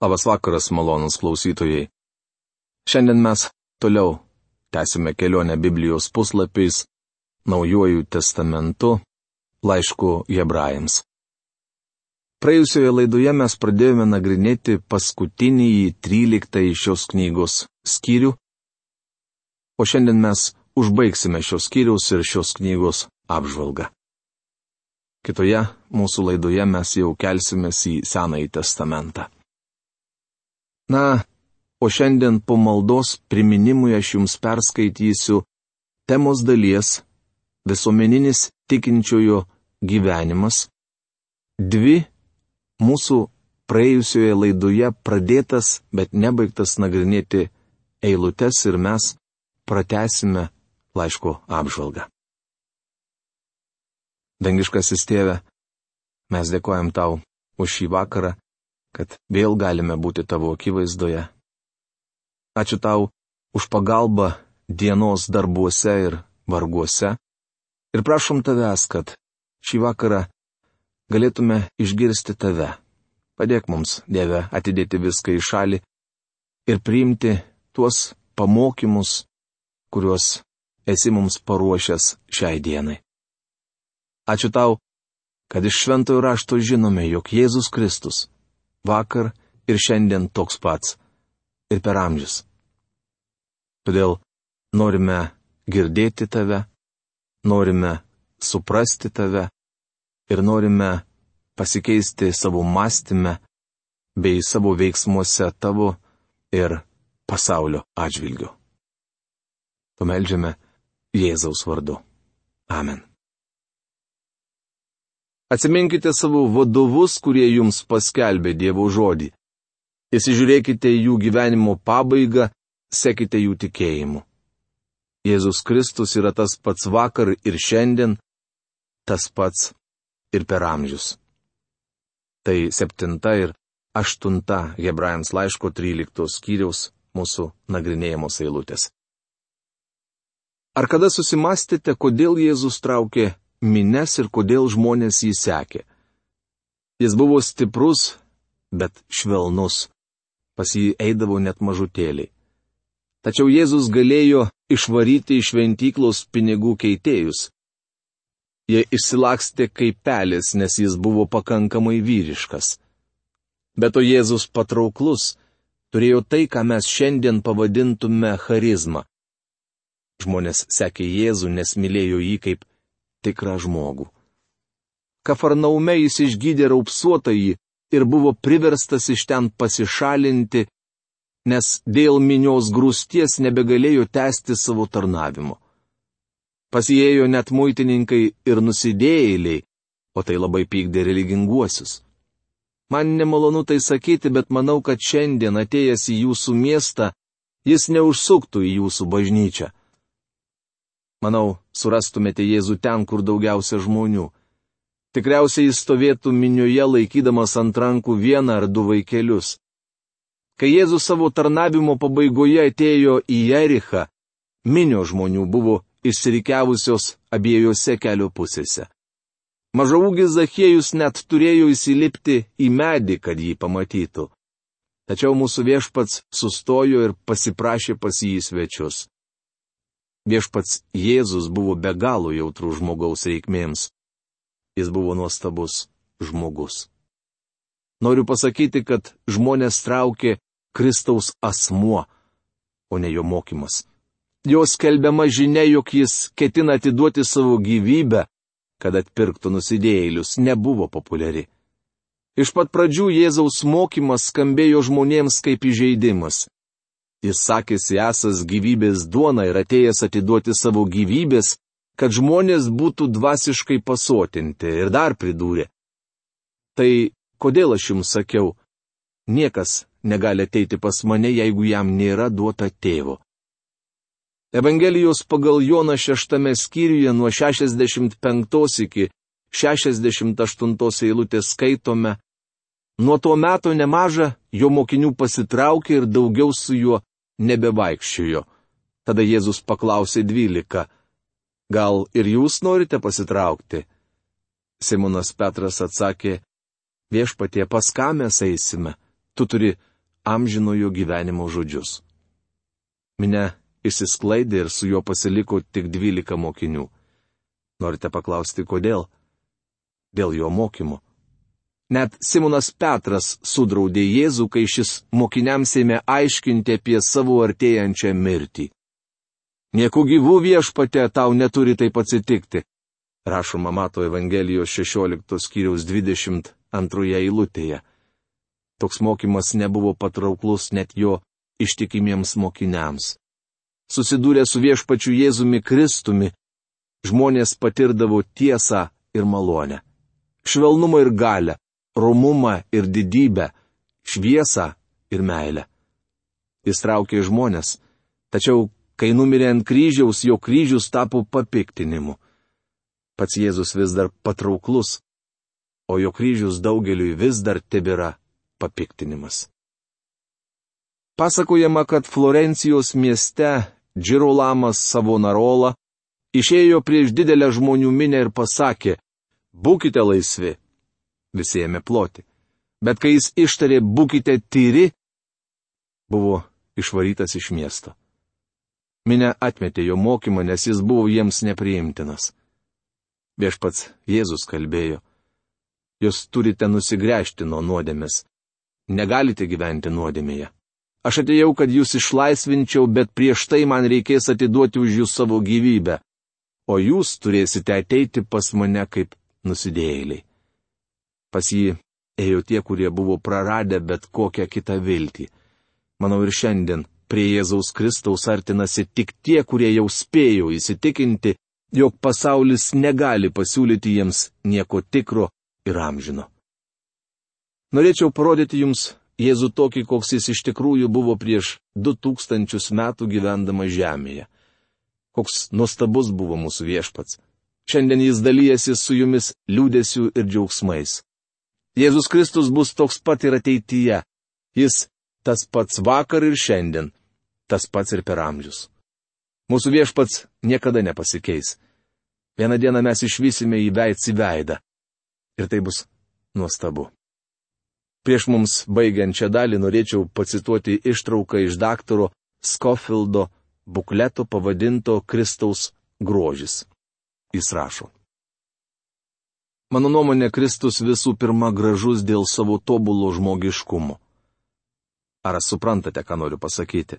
Labas vakaras, malonūs klausytojai. Šiandien mes toliau tęsime kelionę Biblijos puslapiais, Naujuoju testamentu, laišku Hebrajams. Praėjusioje laidoje mes pradėjome nagrinėti paskutinį 13 šios knygos skyrių, o šiandien mes užbaigsime šios skyriaus ir šios knygos apžvalgą. Kitoje mūsų laidoje mes jau kelsimės į Senąjį testamentą. Na, o šiandien po maldos priminimui aš jums perskaitysiu temos dalies visuomeninis tikinčiojo gyvenimas, dvi mūsų praėjusioje laidoje pradėtas, bet nebaigtas nagrinėti eilutes ir mes pratęsime laiško apžvalgą. Dangiškasis Tėve, mes dėkojam Tau už šį vakarą, kad vėl galime būti Tavo akivaizdoje. Ačiū Tau už pagalbą dienos darbuose ir varguose ir prašom Tavęs, kad šį vakarą galėtume išgirsti Tave. Padėk mums, Dieve, atidėti viską į šalį ir priimti tuos pamokymus, kuriuos esi mums paruošęs šiai dienai. Ačiū Tau, kad iš Šventojo rašto žinome, jog Jėzus Kristus vakar ir šiandien toks pats ir per amžius. Todėl norime girdėti Tave, norime suprasti Tave ir norime pasikeisti savo mąstyme bei savo veiksmuose Tavo ir pasaulio atžvilgiu. Pameldžiame Jėzaus vardu. Amen. Atsiminkite savo vadovus, kurie jums paskelbė Dievo žodį. Įsižiūrėkite jų gyvenimo pabaigą, sekite jų tikėjimu. Jėzus Kristus yra tas pats vakar ir šiandien, tas pats ir per amžius. Tai 7 ir 8 Hebrajams laiško 13 skyriaus mūsų nagrinėjamos eilutės. Ar kada susimastėte, kodėl Jėzus traukė mines ir kodėl žmonės jį sekė? Jis buvo stiprus, bet švelnus. Pas jį eidavo net mažutėliai. Tačiau Jėzus galėjo išvaryti iš šventyklos pinigų keitėjus. Jie išsilakstė kaip pelės, nes jis buvo pakankamai vyriškas. Bet o Jėzus patrauklus, turėjo tai, ką mes šiandien pavadintume charizma. Žmonės sekė Jėzų, nes mylėjo jį kaip tikrą žmogų. Kafarnaume jis išgydė raupsuotąjį ir buvo priverstas iš ten pasišalinti, nes dėl minios grūsties nebegalėjo tęsti savo tarnavimo. Pasijėjo net muitininkai ir nusidėjėliai, o tai labai pykdė religinguosius. Man nemalonu tai sakyti, bet manau, kad šiandien atėjęs į jūsų miestą, jis neužsuktų į jūsų bažnyčią. Manau, surastumėte Jėzų ten, kur daugiausia žmonių. Tikriausiai jis stovėtų minioje laikydamas ant rankų 1 ar 2 vaikelius. Kai Jėzus savo tarnavimo pabaigoje atėjo į Jerichą, minios žmonių buvo išsirikiavusios abiejose kelio pusėse. Mažaūgis Zachiejus net turėjo įsilipti į medį, kad jį pamatytų. Tačiau mūsų viešpats sustojo ir pasiprašė pas jį į svečius. Viešpats Jėzus buvo be galo jautrus žmogaus reikmėms. Jis buvo nuostabus žmogus. Noriu pasakyti, kad žmonės traukė Kristaus asmuo, o ne jo mokymas. Jo skelbiama žinia, jog jis ketina atiduoti savo gyvybę, kad atpirktų nusidėjėlius, nebuvo populiari. Iš pat pradžių Jėzaus mokymas skambėjo žmonėms kaip įžeidimas. Jis sakėsi esąs gyvybės duona ir atėjęs atiduoti savo gyvybės, kad žmonės būtų dvasiškai pasotinti, ir dar pridūrė. Tai kodėl aš jums sakiau, niekas negali ateiti pas mane, jeigu jam nėra duota tėvo. Evangelijos pagal Joną 6 skyriuje nuo 65 iki 68 eilutės skaitome: Nuo to meto nemaža jo mokinių pasitraukė ir daugiau su juo nebevaikščiojo. Tada Jėzus paklausė 12: Gal ir jūs norite pasitraukti? Simonas Petras atsakė: Viešpatie, pas ką mes eisime? Tu turi amžinojo gyvenimo žodžius. Minia išsisklaidė ir su juo pasiliko tik 12 mokinių. Norite paklausti, kodėl? Dėl jo mokymo. Net Simonas Petras sudraudė Jėzų, kai šis mokiniams ėmė aiškinti apie savo artėjančią mirtį. Nieku gyvų Viešpatie tau neturi taip atsitikti, rašoma Mato Evangelijos 16 skyriaus 22 eilutėje. Toks mokymas nebuvo patrauklus net jo ištikimiems mokiniams. Susidūrę su Viešpačiu Jėzumi Kristumi, žmonės patirdavo tiesą ir malonę, švelnumą ir galią, romumą ir didybę, šviesą ir meilę. Jis traukė žmonės, tačiau, kai numirė ant kryžiaus, jo kryžius tapo papiktinimu. Pats Jėzus vis dar patrauklus, o jo kryžius daugeliui vis dar tebėra papiktinimas. Pasakojama, kad Florencijos mieste Džirolamas Savonarola išėjo prieš didelę žmonių minią ir pasakė: "Būkite laisvi." Visi ėmė ploti. Bet kai jis ištarė "būkite tyri", buvo išvarytas iš miesto. Minia atmetė jo mokymą, nes jis buvo jiems nepriimtinas. Viešpats Jėzus kalbėjo: "Jūs turite nusigręžti nuo nuodėmės. Negalite gyventi nuodėmėje. Aš atėjau, kad jūs išlaisvinčiau, bet prieš tai man reikės atiduoti už jūs savo gyvybę, o jūs turėsite ateiti pas mane kaip nusidėjėliai." Pas jį ėjo tie, kurie buvo praradę bet kokią kitą viltį. Manau, ir šiandien prie Jėzaus Kristaus artinasi tik tie, kurie jau spėjo įsitikinti, jog pasaulis negali pasiūlyti jiems nieko tikro ir amžino. Norėčiau parodyti jums Jėzų tokį, koks jis iš tikrųjų buvo prieš 2000 metų gyvendamas žemėje. Koks nuostabus buvo mūsų Viešpats. Šiandien jis dalyjasi su jumis liūdesiu ir džiaugsmais. Jėzus Kristus bus toks pat ir ateityje. Jis tas pats vakar ir šiandien, tas pats ir per amžius. Mūsų Viešpats niekada nepasikeis. Vieną dieną mes išvysime jį veids į veidą. Ir tai bus nuostabu. Prieš mums baigiant šią dalį norėčiau pacituoti ištrauką iš daktaro Scofieldo bukleto pavadinto Kristaus grožis. Jis rašo: "Mano nuomonė, Kristus visų pirma gražus dėl savo tobulo žmogiškumo." Ar suprantate, ką noriu pasakyti?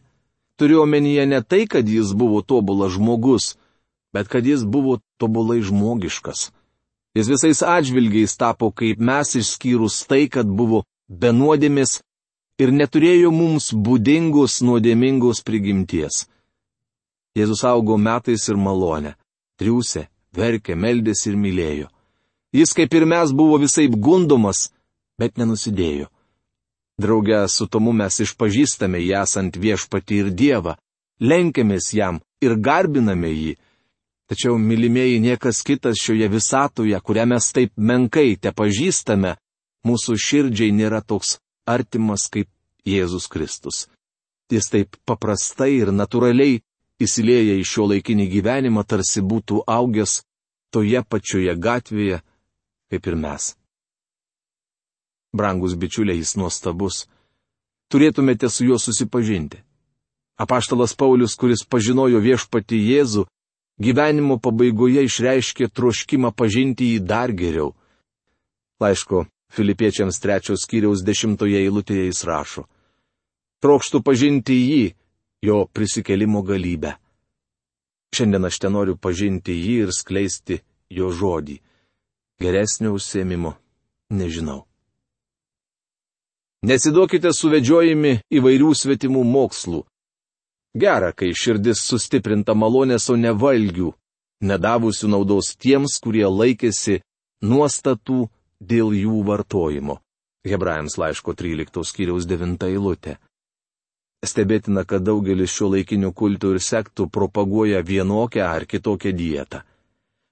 Turiu omenyje ne tai, kad jis buvo tobulas žmogus, bet kad jis buvo tobulai žmogiškas. Jis visais atžvilgiais tapo kaip mes, išskyrus tai, kad buvo be nuodėmės ir neturėjo mums būdingos nuodėmingos prigimties. Jėzus augo metais ir malonę, triūsė, verkė, meldėsi ir mylėjo. Jis kaip ir mes buvo visaip gundomas, bet nenusidėjo. Drauge su tomu mes išpažįstame jį esant Viešpatį ir Dievą, lenkiamės jam ir garbiname jį. Tačiau, mylimieji, niekas kitas šioje visatoje, kurią mes taip menkai tepažįstame, mūsų širdžiai nėra toks artimas kaip Jėzus Kristus. Jis taip paprastai ir natūraliai įsilieja į šio laikinį gyvenimą, tarsi būtų augęs toje pačioje gatvėje, kaip ir mes. Brangus bičiuliai, jis nuostabus. Turėtumėte su juo susipažinti. Apaštalas Paulius, kuris pažinojo Viešpatį Jėzų, gyvenimo pabaigoje išreiškė troškimą pažinti jį dar geriau. Laiško Filipiečiams 3 skyriaus 10 eilutėje jis rašo: "Trokštu pažinti jį, jo prisikėlimo galybę." Šiandien aš tenoriu pažinti jį ir skleisti jo žodį. Geresnio užsiėmimo nežinau. Nesiduokite suvedžiojami įvairių svetimų mokslų. Gera, kai širdis sustiprinta malonės, o ne valgių, nedavusių naudos tiems, kurie laikėsi nuostatų dėl jų vartojimo. Hebrajams laiško 13 skyriaus 9 eilutė. Stebėtina, kad daugelis šio laikinių kultų ir sektų propaguoja vienokią ar kitokią dietą.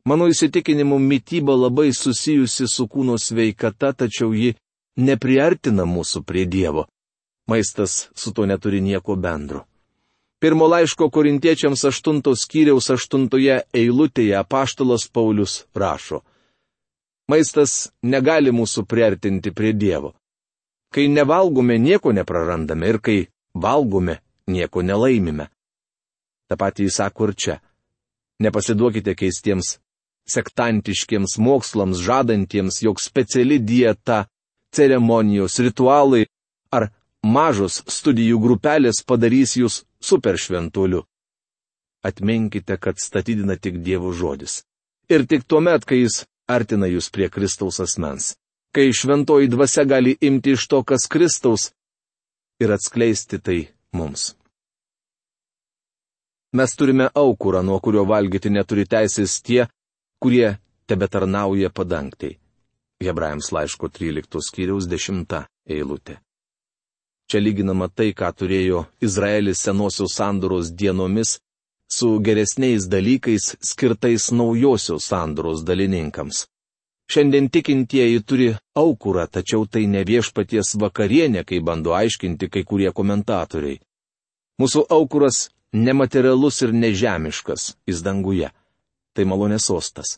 Mano įsitikinimu, mityba labai susijusi su kūno sveikata, tačiau ji nepriartina mūsų prie Dievo. Maistas su to neturi nieko bendro. Pirmo laiško Korintiečiams 8 skyriaus 8 eilutėje apaštalas Paulius rašo: "Maistas negali mūsų priartinti prie Dievo. Kai nevalgome, nieko neprarandame ir kai valgome, nieko nelaimime. Ta pati jis sako ir čia. Nepasiduokite keistiems sektantiškiems mokslams, žadantiems, jog speciali dieta, ceremonijos, ritualai ar mažos studijų grupelės padarys jūs superšventuoliu. Atminkite, kad statydina tik Dievo žodis. Ir tik tuomet, kai jis artina jūs prie Kristaus asmens. Kai šventoji dvasia gali imti iš to, kas Kristaus, ir atskleisti tai mums. Mes turime aukurą, nuo kurio valgyti neturi teisės tie, kurie tebetarnauja padangtai. Hebrajams laiško 13 skyriaus 10 eilutė. Čia lyginama tai, ką turėjo Izraelis senosios sandoros dienomis, su geresniais dalykais skirtais naujosios sandoros dalininkams. Šiandien tikintieji turi aukurą, tačiau tai ne viešpaties vakarienė, kaip bando aiškinti kai kurie komentatoriai. Mūsų aukuras nematerialus ir nežemiškas, jis danguje. Tai malonės sostas.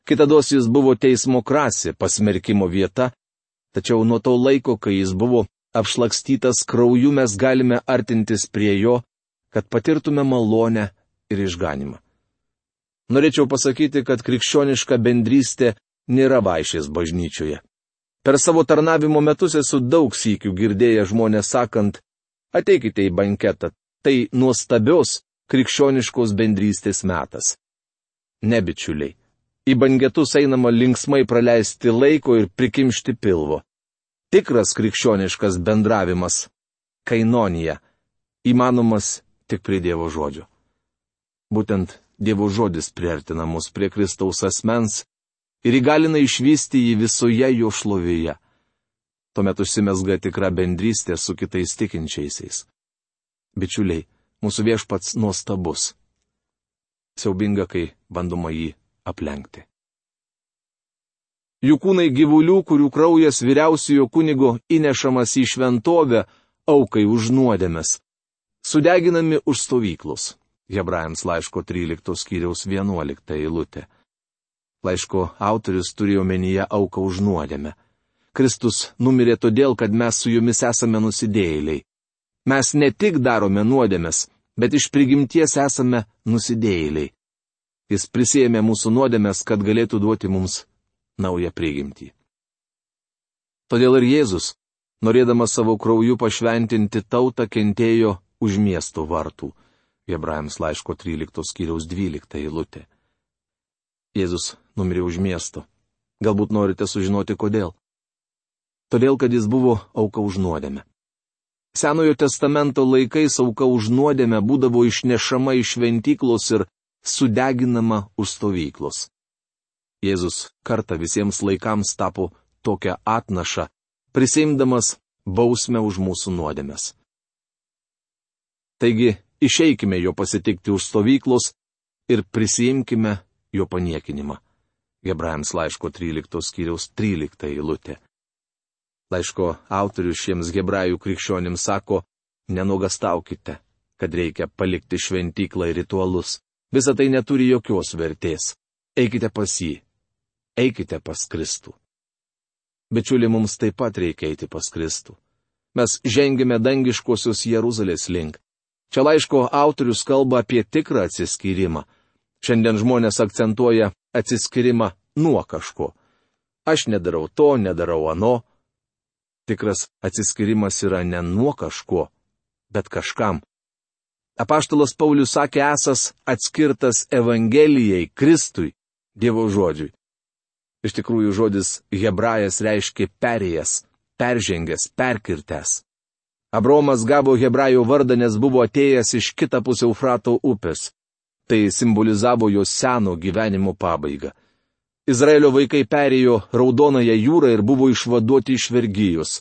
Kitados jis buvo teismo krasė, pasmerkimo vieta, tačiau nuo to laiko, kai jis buvo apšlakstytas krauju, mes galime artintis prie jo, kad patirtume malonę ir išganimą. Norėčiau pasakyti, kad krikščioniška bendrystė nėra vaišės bažnyčioje. Per savo tarnavimo metus esu daug sykių girdėjęs žmonės sakant, ateikite į banketą, tai nuostabios krikščioniškos bendrystės metas. Ne, bičiuliai, į banketus einama linksmai praleisti laiko ir prikimšti pilvo. Tikras krikščioniškas bendravimas, kainonija, įmanomas tik prie Dievo žodžio. Būtent Dievo žodis priartina mus prie Kristaus asmens ir įgalina išvysti jį visoje jo šlovėje. Tuomet užsimezga tikra bendrystė su kitais tikinčiaisiais. Bičiuliai, mūsų viešpats nuostabus. Siaubinga, kai bandoma jį aplenkti. Jų kūnai gyvulių, kurių kraujas vyriausiojo kunigo įnešamas į šventovę, aukai už nuodėmes, sudeginami už stovyklus. Hebrajams laiško 13 skyriaus 11 eilutė. Laiško autorius turėjo omenyje auką už nuodėmę. Kristus numirė todėl, kad mes su jumis esame nusidėjėliai. Mes ne tik darome nuodėmes, bet iš prigimties esame nusidėjėliai. Jis prisiėmė mūsų nuodėmes, kad galėtų duoti mums naują prigimtį. Todėl ir Jėzus, norėdamas savo krauju pašventinti tautą, kentėjo už miesto vartų. Hebrajams laiško 13 skyriaus 12 eilutė. Jėzus numirė už miesto. Galbūt norite sužinoti kodėl. Todėl, kad jis buvo auka už nuodėmę. Senojo testamento laikais auka už nuodėmę būdavo išnešama iš šventyklos ir sudeginama už stovyklos. Jėzus kartą visiems laikams tapo tokią atnašą, prisiimdamas bausmę už mūsų nuodėmes. Taigi, išeikime jo pasitikti už stovyklos ir prisiimkime jo paniekinimą. Hebrajams laiško 13 skyriaus 13 eilutė. Laiško autorius šiems hebrajų krikščionims sako, nenuogastaukite, kad reikia palikti šventyklą ir ritualus. Visa tai neturi jokios vertės. Eikite pas jį. Eikite pas Kristų. Bičiuli, mums taip pat reikia eiti pas Kristų. Mes žengėme dangiškosios Jeruzalės link. Čia laiško autorius kalba apie tikrą atsiskyrimą. Šiandien žmonės akcentuoja atsiskyrimą nuo kažko. Aš nedarau to, nedarau ano. Tikras atsiskyrimas yra ne nuo kažko, bet kažkam. Apaštalas Paulius sakė esąs atskirtas Evangelijai, Kristui, Dievo žodžiui. Iš tikrųjų žodis hebrajas reiškia perėjęs, peržengęs, perkirtęs. Abraomas gavo hebrajų vardą, nes buvo atėjęs iš kitapus Eufrato upės. Tai simbolizavo jo seno gyvenimo pabaigą. Izraelio vaikai perėjo Raudonąją jūrą ir buvo išvaduoti iš vergijos.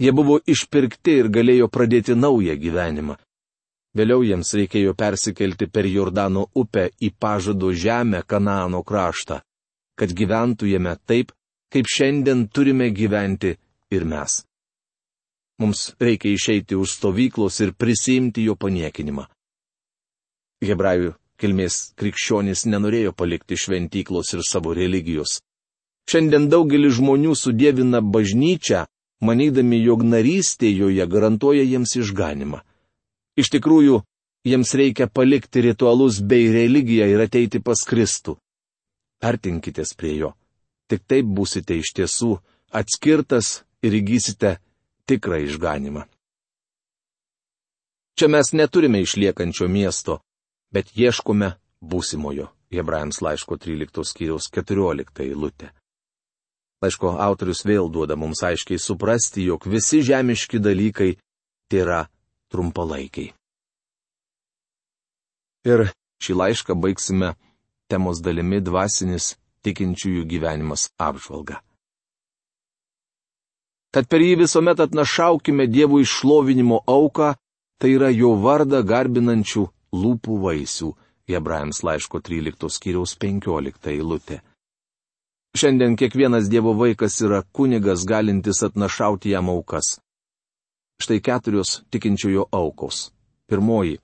Jie buvo išpirkti ir galėjo pradėti naują gyvenimą. Vėliau jiems reikėjo persikelti per Jordano upę į pažado žemę Kanaano kraštą, kad gyventumėme taip, kaip šiandien turime gyventi ir mes. Mums reikia išeiti už stovyklos ir prisiimti jo paniekinimą. Hebrajų kilmės krikščionys nenorėjo palikti šventyklos ir savo religijos. Šiandien daugelis žmonių sudievina bažnyčią, manydami, jog narystė joje garantuoja jiems išganimą. Iš tikrųjų, jiems reikia palikti ritualus bei religiją ir ateiti pas Kristų. Artinkitės prie jo. Tik taip būsite iš tiesų atskirtas ir įgysite tikrą išganimą. Čia mes neturime išliekančio miesto, bet ieškome būsimojo. Hebrajams laiško 13 skyriaus 14 eilutė. Laiško autorius vėl duoda mums aiškiai suprasti, jog visi žemiški dalykai tėra trumpalaikiai. Ir šį laišką baigsime temos dalimi dvasinis tikinčiųjų gyvenimas apžvalga. Tad per jį visuomet atnašaukime Dievui šlovinimo auką, tai yra jo vardą garbinančių lūpų vaisių. Hebrajams laiško 13 skyriaus 15 eilutė. Šiandien kiekvienas Dievo vaikas yra kunigas galintis atnašauti jam aukas. Štai 4 tikinčiojo aukos. Pirmoji.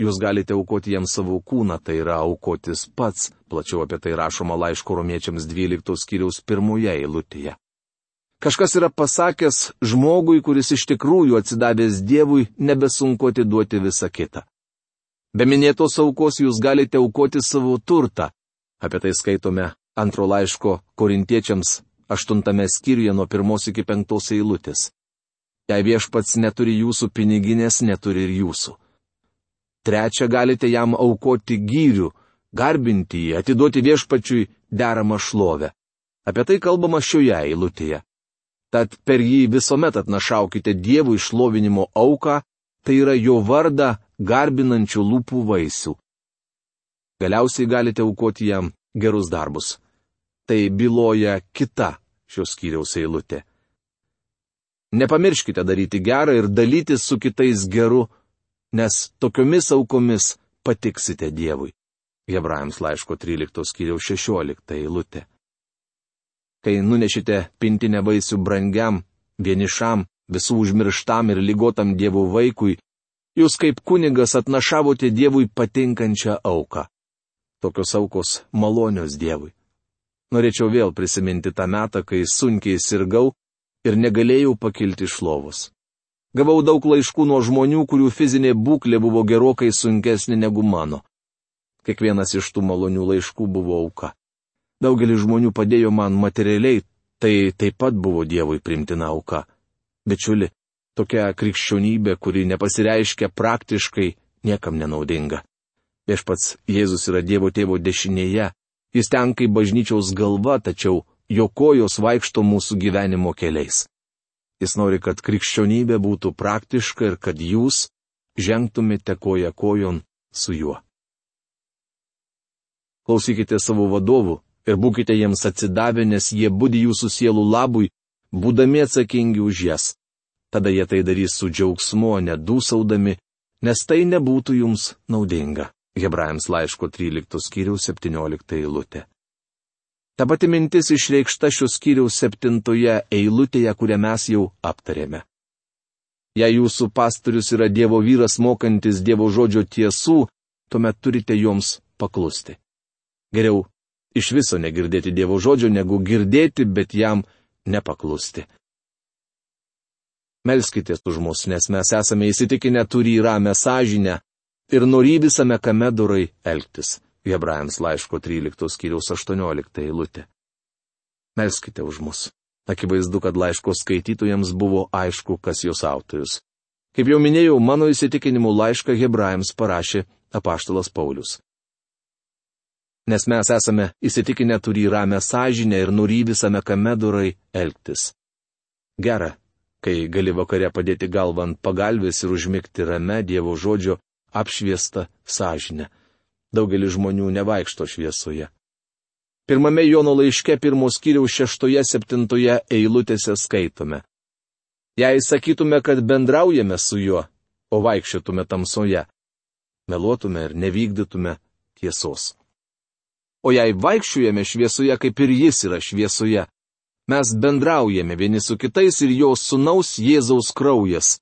Jūs galite aukoti jam savo kūną, tai yra aukotis pats. Plačiau apie tai rašoma laiško Romiečiams 12 skyriaus 1 eilutėje. Kažkas yra pasakęs žmogui, kuris iš tikrųjų atsidavęs Dievui, nebesunku atiduoti visą kitą. Be minėtos aukos jūs galite aukoti savo turtą. Apie tai skaitome 2 laiško Korintiečiams 8 skyriuje nuo 1 iki 5 eilutės. Jei viešpats neturi jūsų piniginės, neturi ir jūsų. 3 galite jam aukoti gyrių, garbinti jį, atiduoti viešpačiui deramą šlovę. Apie tai kalbama šioje eilutėje. Tad per jį visuomet atnašaukite Dievui šlovinimo auką, tai yra jo vardą garbinančių lūpų vaisių. Galiausiai galite aukoti jam gerus darbus. Tai byloja kita šios skyriaus eilutė. Nepamirškite daryti gerą ir dalytis su kitais geru, nes tokiomis aukomis patiksite Dievui. Hebrajams laiško 13 skyriaus 16 eilutė. Kai nunešite pintinę vaisių brangiam, vienišam, visų užmirštam ir ligotam Dievo vaikui, jūs kaip kunigas atnašavote Dievui patinkančią auką. Tokios aukos malonios Dievui. Norėčiau vėl prisiminti tą metą, kai sunkiai sirgau ir negalėjau pakilti iš lovos. Gavau daug laiškų nuo žmonių, kurių fizinė būklė buvo gerokai sunkesnė negu mano. Kiekvienas iš tų malonių laiškų buvo auka. Daugelis žmonių padėjo man materialiai, tai taip pat buvo Dievui primtina auka. Bičiuli, tokia krikščionybė, kuri nepasireiškia praktiškai, niekam nenaudinga. Viešpats Jėzus yra Dievo tėvo dešinėje, jis ten kaip bažnyčiaus galva, tačiau jo kojos vaikšto mūsų gyvenimo keliais. Jis nori, kad krikščionybė būtų praktiška ir kad jūs žengtumėte koja kojon su juo. Klausykite savo vadovų ir būkite jiems atsidavę, nes jie budi jūsų sielų labui, būdami atsakingi už jas. Tada jie tai darys su džiaugsmu, nedūsaudami, nes tai nebūtų jums naudinga. Hebrajams laiško 13 skyriaus 17 eilutė. Ta pati mintis išreikšta šios skyriaus 7 eilutėje, kurią mes jau aptarėme. Jei jūsų pastorius yra Dievo vyras mokantis Dievo žodžio tiesų, tuomet turite joms paklusti. Geriau iš viso negirdėti Dievo žodžio, negu girdėti, bet jam nepaklusti. Melskitės už mus, nes mes esame įsitikinę turį ramią sąžinę ir norį visame kame dorai elgtis. Hebrajams laiško 13 skyriaus 18 eilutė. Melskite už mus. Akivaizdu, kad laiško skaitytojams buvo aišku, kas jos autorius. Kaip jau minėjau, mano įsitikinimu laišką Hebrajams parašė apaštalas Paulius. Nes mes esame įsitikinę turį ramią sąžinę ir norį visame kame dorai elgtis. Gera, kai gali vakare padėti galvą ant pagalvės ir užmigti rame Dievo žodžio apšviestą sąžinę. Daugelis žmonių nevaikšto šviesoje. 1 Jono laiške 1 skyriaus 6-7 eilutėse skaitome. Jei sakytume, kad bendraujame su juo, o vaikščiotume tamsoje, meluotume ir nevykdytume tiesos. O jei vaikščiojame šviesoje, kaip ir jis yra šviesoje, mes bendraujame vieni su kitais ir jo sūnaus Jėzaus kraujas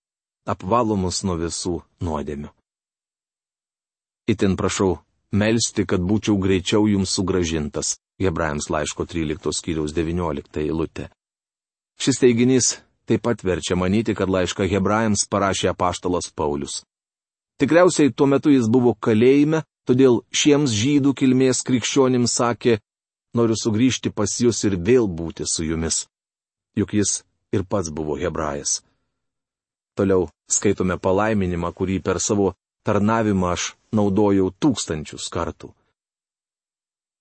apvalo mus nuo visų nuodėmių. Itin prašau melsti, kad būčiau greičiau jums sugrąžintas. Hebrajams laiško 13 skyriaus 19 eilutė. Šis teiginys taip pat verčia manyti, kad laišką Hebrajams parašė apaštalas Paulius. Tikriausiai tuo metu jis buvo kalėjime, todėl šiems žydų kilmės krikščionims sakė, noriu sugrįžti pas jūs ir vėl būti su jumis. Juk jis ir pats buvo hebrajas. Toliau skaitome palaiminimą, kurį per savo tarnavimą aš naudojau 1000 kartų.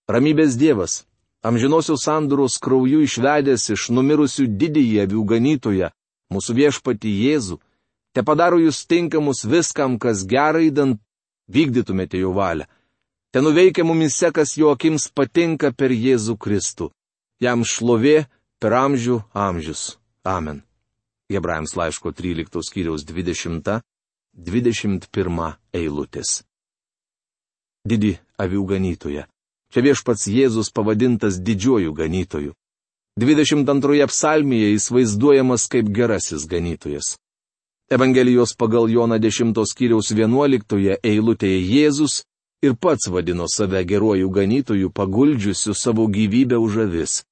Ramybės Dievas, amžinosios sandoros krauju išvedęs iš numirusių didįjį avių ganytoją, mūsų viešpatį Jėzų, te padaro jūs tinkamus viskam, kas gerai, idant vykdytumėte jo valią. Te nuveikia mumise, kas jo akims patinka per Jėzų Kristų. Jam šlovė per amžių amžius. Amen. Hebrajams laiško 13 skyriaus 20-21 eilutės. Didį avių ganytoją. Čia viešpats Jėzus pavadintas didžiuoju ganytoju. 22 psalmėje jis vaizduojamas kaip gerasis ganytojas. Evangelijos pagal Joną 10 skyriaus 11 eilutėje Jėzus ir pats vadino save geruoju ganytoju, paguldžiusiu savo gyvybę už avis.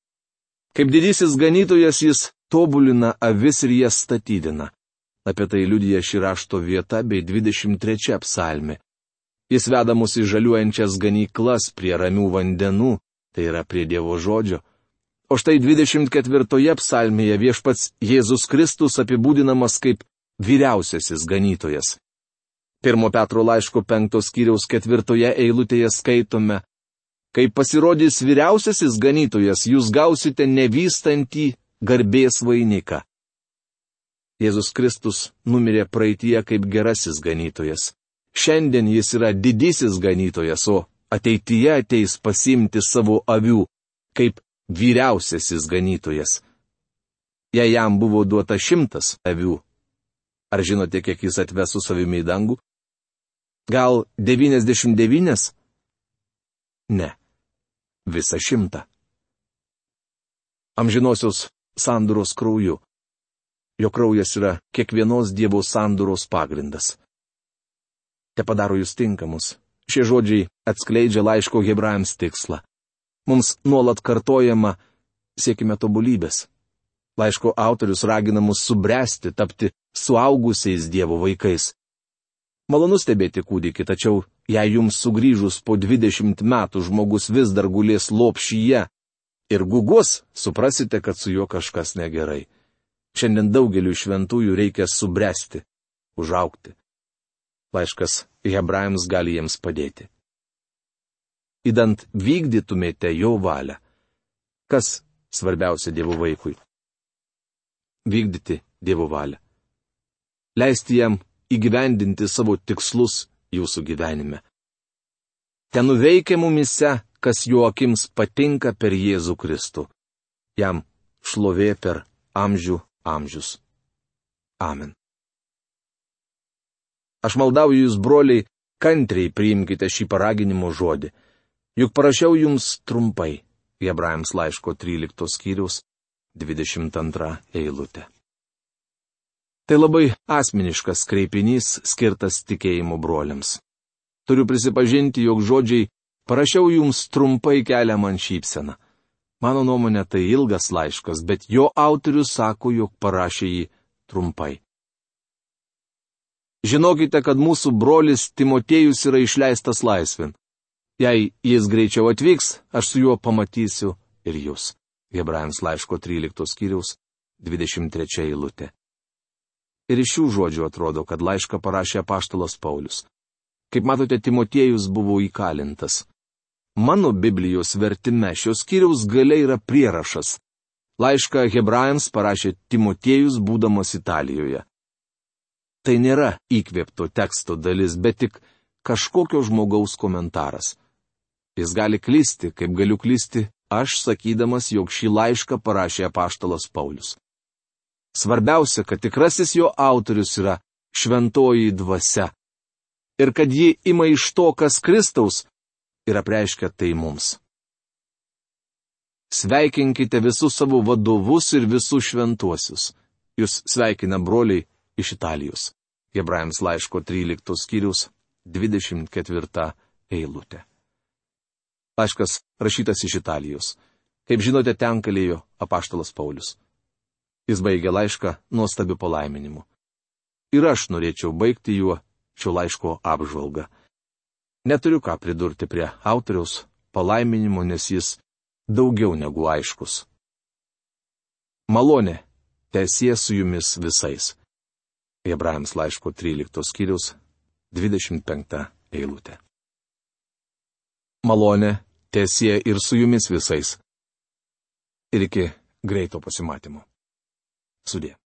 Kaip didysis ganytojas jis tobulina avis ir jas statydina. Apie tai liudija ši rašto vieta bei 23 psalmė. Jis veda mus į žaliuojančias ganyklas prie ramių vandenų, tai yra prie Dievo žodžio. O štai 24 psalmėje viešpats Jėzus Kristus apibūdinamas kaip vyriausiasis ganytojas. 1 Petro laiško 5 skyriaus 4 eilutėje skaitome, kai pasirodys vyriausiasis ganytojas, jūs gausite nevystantį garbės vainiką. Jėzus Kristus numirė praeityje kaip gerasis ganytojas. Šiandien jis yra didysis ganytojas, o ateityje ateis pasiimti savo avių kaip vyriausiasis ganytojas. Jei jam buvo duota 100 avių, ar žinote, kiek jis atves su savimi į dangų? Gal 99? Ne, visą 100. Amžinosios sandoros krauju. Jo kraujas yra kiekvienos Dievo sandoros pagrindas. Te padaro jūs tinkamus. Šie žodžiai atskleidžia laiško Hebrajams tikslą. Mums nuolat kartojama, siekime tobulybės. Laiško autorius ragina mus subręsti, tapti suaugusiais Dievo vaikais. Malonu stebėti kūdikį, tačiau jei jums sugrįžus po 20 metų žmogus vis dar gulės lopšyje ir gugos, suprasite, kad su juo kažkas negerai. Šiandien daugeliu šventųjų reikia subręsti, užaugti. Laiškas Hebrajams gali jiems padėti. Idant vykdytumėte jo valią. Kas svarbiausia Dievo vaikui? Vykdyti Dievo valią. Leisti jam įgyvendinti savo tikslus jūsų gyvenime. Ten nuveikia mumise, kas jo akims patinka per Jėzų Kristų. Jam šlovė per amžių amžius. Amen. Aš maldauju jūs, broliai, kantriai priimkite šį paraginimo žodį. Juk parašiau jums trumpai. Hebrajams laiško 13 skyriaus 22 eilutė. Tai labai asmeniškas kreipinys skirtas tikėjimo broliams. Turiu prisipažinti, jog žodžiai parašiau jums trumpai kelia man šypseną. Mano nuomonė tai ilgas laiškas, bet jo autorius sako, jog parašė jį trumpai. Žinokite, kad mūsų brolis Timotiejus yra išleistas laisvin. Jei jis greičiau atvyks, aš su juo pamatysiu ir jūs. Hebrajams laiško 13 skyriaus 23 eilutė. Ir iš šių žodžių atrodo, kad laišką parašė apaštalas Paulius. Kaip matote, Timotiejus buvo įkalintas. Mano Biblijos vertime šios skyriaus gale yra prierašas. Laišką Hebrajams parašė Timotiejus, būdamas Italijoje. Tai nėra įkvėpto teksto dalis, bet tik kažkokio žmogaus komentaras. Jis gali klysti, kaip galiu klysti aš, sakydamas, jog šį laišką parašė apaštalas Paulius. Svarbiausia, kad tikrasis jo autorius yra šventoji dvasia. Ir kad ji ima iš to, kas Kristaus, ir apreiškia tai mums. Sveikinkite visus savo vadovus ir visus šventuosius. Jūs sveikina broliai iš Italijos. Hebrajams laiško 13 skyriaus 24 eilutė. Laiškas rašytas iš Italijos. Kaip žinote, ten kalėjo apaštalas Paulius. Jis baigė laišką nuostabiu palaiminimu. Ir aš norėčiau baigti juo šio laiško apžvalgą. Neturiu ką pridurti prie autoriaus palaiminimo, nes jis daugiau negu aiškus. Malonė teesie su jumis visais. Hebrajams laiško 13 skyriaus 25 eilutė. Malonė teesie ir su jumis visais. Ir iki greito pasimatymo. Sudie.